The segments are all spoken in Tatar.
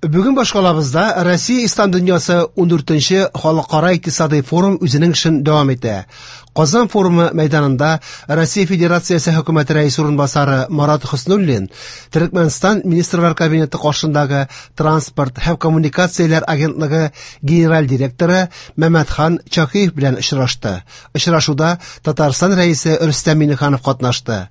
Бүген башкалабызда Россия Ислам дөньясы 14нче халыкара икътисадый форум үзенең эшен дәвам итә. Казан форумы мәйданында Россия Федерациясе хөкүмәте рәисе урынбасары Марат Хөснуллин Төркмәнстан Министрлар Кабинеты каршындагы Транспорт һәм коммуникацияләр агентлыгы генераль директоры Мәмәтхан Чакиев белән очрашты. Очрашуда Татарстан рәисе Рөстәм Миңнеханов катнашты.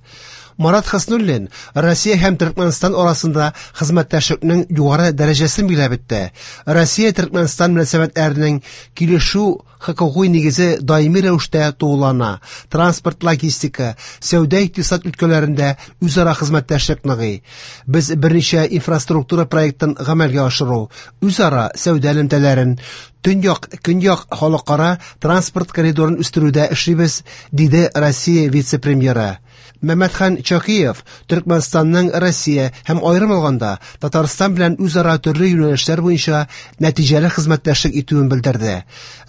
Марат Хөснуллин Россия һәм Төркмәнстан арасында хезмәттәшлекнең югары дәрәҗәсен билгеләп үтте. Россия Төркмәнстан мөнәсәбәтләренең килешү хокукый нигезе даими рәвештә тулылана. Транспорт, логистика, сәүдә икътисад өлкәләрендә үзара хезмәттәшлек ныгый. Без берничә инфраструктура проектын гамәлгә ашыру, үзара сәүдә элемтәләрен, Төньяк, Көньяк халыкара транспорт коридорын үстерүдә эшлибез, диде Россия вице-премьеры. Мәмәтхан Чакиев Төркмәнстанның Россия һәм аерым алганда Татарстан белән үзара төрле юнәлешләр буенча нәтиҗәле хезмәттәшлек итүен белдерде.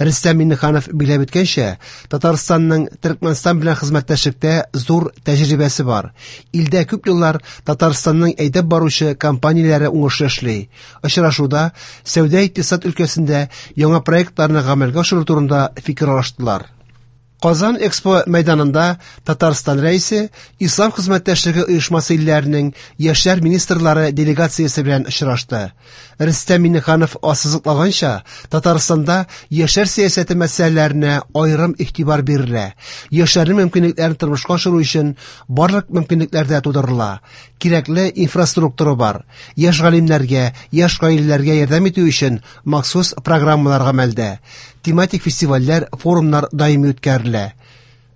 Рөстәм Миңнеханов билгеләп үткәнчә, Татарстанның Төркмәнстан белән хезмәттәшлектә зур тәҗрибәсе бар. Илдә күп еллар Татарстанның әйдәп баручы компанияләре уңышлы эшли. Очрашуда сәүдә-икътисад өлкәсендә яңа проектларны гамәлгә ашыру турында фикер алыштылар. Казан Экспо мәйданында Татарстан Рәисе Ислам хезмәттәшлеге оешмасы илләренең яшьләр министрлары делегациясе белән очрашты. Рөстәм Миңнеханов ассызыклаганча, Татарстанда яшьләр сәясәте мәсьәләләренә аерым игътибар бирелә. Яшьләрнең мөмкинлекләрен тормышка ашыру өчен барлык мөмкинлекләр дә тудырыла. Кирәкле инфраструктура бар. Яшь галимнәргә, яшь гаиләләргә ярдәм итү өчен махсус программалар гамәлдә. Тематик фестивальләр, форумнар даими үткәрелә.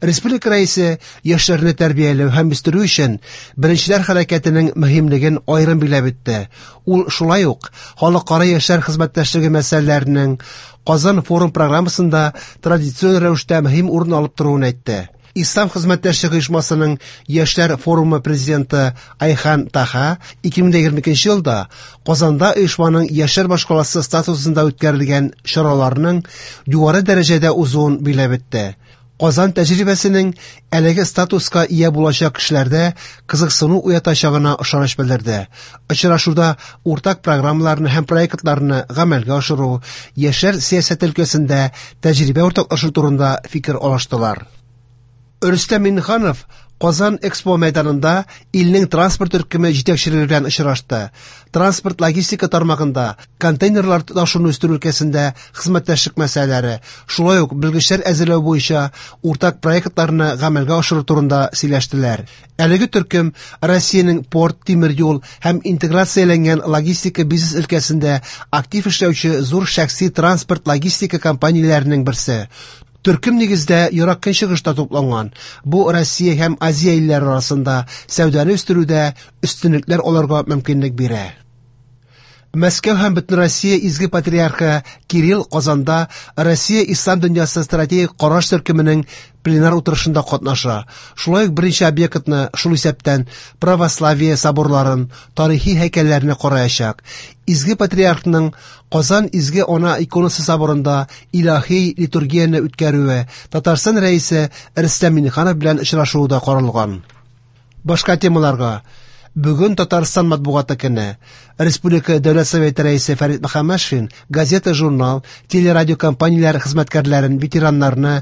Республика Рәисе яшьләрне тәрбияләү һәм үстерү өчен Беренчеләр хәрәкәтенең мөһимлеген аерым билгеләп үтте. Ул шулай ук халыкара яшьләр хезмәттәшлеге мәсьәләләренең Казан форум программасында традицион рәвештә мөһим урын алып торуын әйтте. Ислам хезмәттәшлеге оешмасының Яшьләр форумы президенты Айхан Таха 2022 елда Казанда оешманың яшьләр башкаласы статусында үткәрелгән чараларның югары дәрәҗәдә узуын билгеләп үтте. Казан тәҗрибәсенең әлеге статуска ия булачак кешеләрдә кызыксыну уятачагына ышаныч белдерде. Очрашуда уртак программаларны һәм проектларны гамәлгә ашыру, яшьләр сәясәте өлкәсендә тәҗрибә уртаклашу турында фикер алыштылар. Рөстәм Миңнеханов Казан Экспо мәйданында илнең транспорт төркеме җитәкчелеге белән очрашты. Транспорт-логистика тармагында контейнерлар ташуны үстерү өлкәсендә хезмәттәшлек мәсьәләләре, шулай ук белгечләр әзерләү буенча уртак проектларны гамәлгә ашыру турында сөйләштеләр. Әлеге төркем Россиянең порт, тимер юл һәм интеграцияләнгән логистика бизнес өлкәсендә актив эшләүче зур шәхси транспорт-логистика компанияләренең берсе. Төркем нигездә Ерак Көнчыгышта тупланган. Бу Россия һәм Азия илләре арасында сәүдәне үстерүдә өстенлекләр алырга мөмкинлек бирә. Мәскәү һәм Бөтенроссия Изге Патриархы Кирилл Казанда Россия Ислам дөньясы стратегик караш төркеменең пленар утырышында катнаша. Шулай ук берничә объектны, шул исәптән православие соборларын, тарихи һәйкәлләрне караячак. Изге Патриархның Казан Изге Ана иконасы соборында илаһи литургияне үткәрүе, Татарстан Рәисе Рөстәм Миңнеханов белән очрашуы да каралган. Башка темаларга. Бүген Татарстан матбугаты көне. Республика Дәүләт Советы Рәисе Фәрит Мөхәммәтшин газета, журнал, телерадиокомпанияләр хезмәткәрләрен, ветераннарны,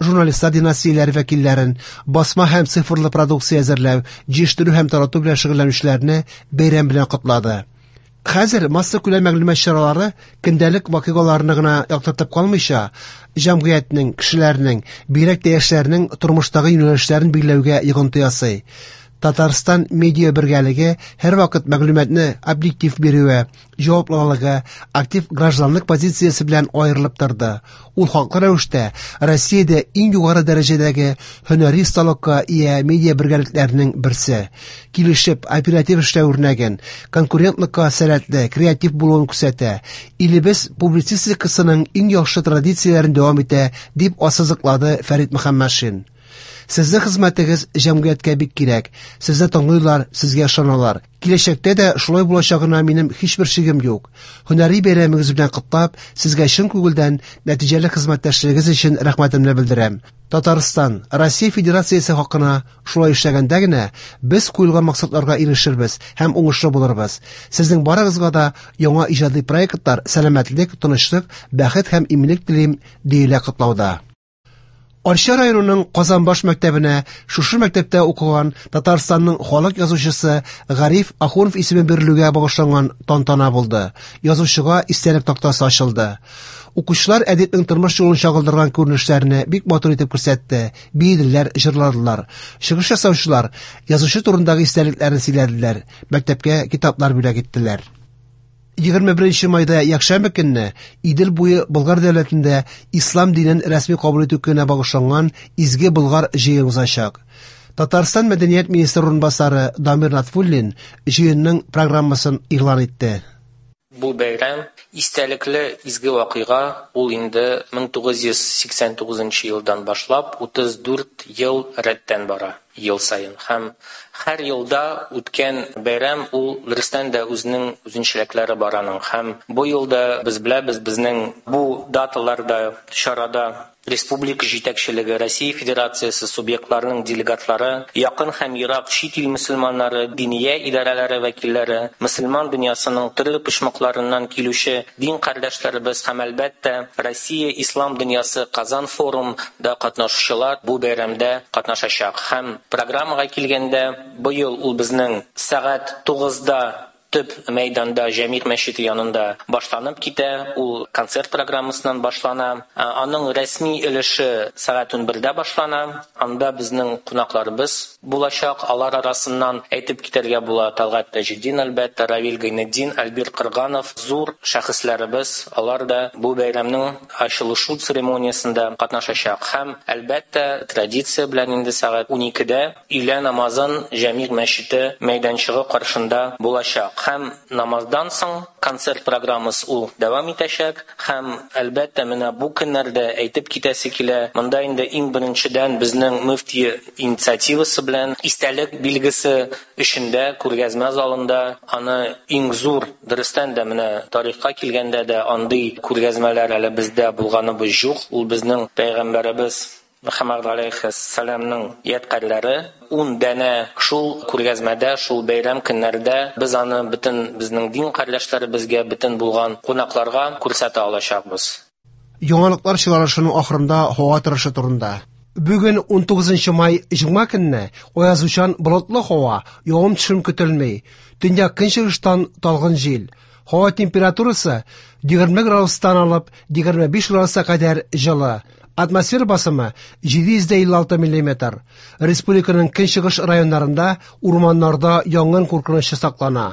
журналистлар династияләре вәкилләрен, басма һәм цифрлы продукция әзерләү, җыештыру һәм тарату белән шөгыльләнүчеләрне бәйрәм белән котлады. Хәзер массакүләм мәгълүмат чаралары көндәлек вакыйгаларны гына яктыртып калмыйча, җәмгыятьнең, кешеләрнең, бигрәк тә яшьләрнең тормыштагы юнәлешләрен билгеләүгә йогынты ясый. Татарстан медиа бергәлеге һәрвакыт мәгълүматны объектив бирүе, җаваплылыгы, актив гражданлык позициясе белән аерылып торды. Ул хаклы рәвештә Россиядә иң югары дәрәҗәдәге һөнәри осталыкка ия медиа бергәлекләренең берсе. Килешеп, оператив эшләү үрнәген, конкурентлыкка сәләтле, креатив булуын күрсәтә. Илебез публицистикасының иң яхшы традицияләрен дәвам итә, дип ассызыклады Фәрит Мөхәммәтшин. Сезнең хезмәтегез җәмгыятькә бик кирәк. Сезне тыңлыйлар, сезгә ышаналар. Киләчәктә дә шулай булачагына минем һичбер шигем юк. Һөнәри бәйрәмегез белән котлап, сезгә чын күңелдән нәтиҗәле хезмәттәшлегегез өчен рәхмәтемне белдерәм. Татарстан, Россия Федерациясе хакына шулай эшләгәндә генә без куелган максатларга ирешербез һәм уңышлы булырбыз. Сезнең барыгызга да яңа иҗади проектлар, сәламәтлек, тынычлык, бәхет һәм иминлек телим, диелә котлауда. Арча районының Казанбаш мәктәбенә шушы мәктәптә укыган Татарстанның халык язучысы Гариф Ахунов исеме бирелүгә багышланган тантана булды. Язучыга истәлек тактасы ачылды. Укучылар әдипнең тормыш юлын чагылдырган күренешләрне бик матур итеп күрсәтте, биеделәр, җырладылар. Чыгыш ясаучылар язучы турындагы истәлекләрен сөйләделәр, мәктәпкә китаплар бүләк иттеләр. 21 майда якшәмбе көнне Идел буе Болгар дәүләтендә ислам динен рәсми кабул итү көненә багышланган Изге Болгар җыен узачак. Татарстан мәдәният министры урынбасары Дамир Латфуллин җыенның программасын игълан итте. Бу бәйрәм истәлекле изге вакыйга, ул инде 1989 елдан башлап 34 ел рәттән бара, ел саен. Һәм һәр елда үткән бәйрәм ул дөрестән дә үзенең үзенчәлекләре бар аның. Һәм бу елда без беләбез, безнең бу даталарда, чарада республика җитәкчелеге, Россия Федерациясе субъектларының делегатлары, якын һәм ерак чит ил мөселманнары, диния идарәләре вәкилләре, мөселман дөньясының төрле почмакларыннан килүче дин кардәшләребез һәм, әлбәттә, Россия ислам дөньясы Казан форумда катнашучылар бу бәйрәмдә катнашачак. Һәм программага килгәндә, быел ул безнең сәгать 9-да төп мәйданда Җәмигъ мәчете янында башланып китә. Ул концерт программасыннан башлана. Аның рәсми өлеше сәгать 11-дә башлана. Анда безнең кунакларыбыз булачак. Алар арасыннан әйтеп китәргә була Талгат Таҗетдин, әлбәттә, Равил Гайнетдин, Альбир Кырганов, зур шәхесләребез. Алар да бу бәйрәмнең ачылышу церемониясендә катнашачак. Һәм, әлбәттә, традиция белән инде сәгать 12-дә өйлә намазын Җәмигъ мәчете мәйданчыгы каршында булачак. Һәм намаздан соң концерт программасы ул дәвам итәчәк. Һәм, әлбәттә, менә бу көннәрдә әйтеп китәсе килә, монда инде иң беренчедән безнең мөфти инициативасы белән истәлек билгесе эчендә, күргәзмә залында аны иң зур, дөрестән дә менә тарихка килгәндә дә андый күргәзмәләр әле бездә булганыбыз юк. Ул безнең пәйгамбәребез Мөхәммәд галәйһиссәламның ядкарьләре 10 данә шул күргәзмәдә, шул бәйрәм көннәрдә без аны бөтен безнең дин кардәшләребезгә, бөтен булган кунакларга күрсәтә алачакбыз. Яңалыклар чыгарылышының ахырында һава торышы турында. Бүген 19 май җомга көнне аязучан болытлы һава, явым-төшем көтелми. Төньяк көнчыгыштан талгын җил. Һава температурасы 20 градустан алып 25 градуска кадәр җылы. Атмосфера басымы 756 миллиметр. Республиканың көнчыгыш районнарында урманнарда янгын куркынычы саклана.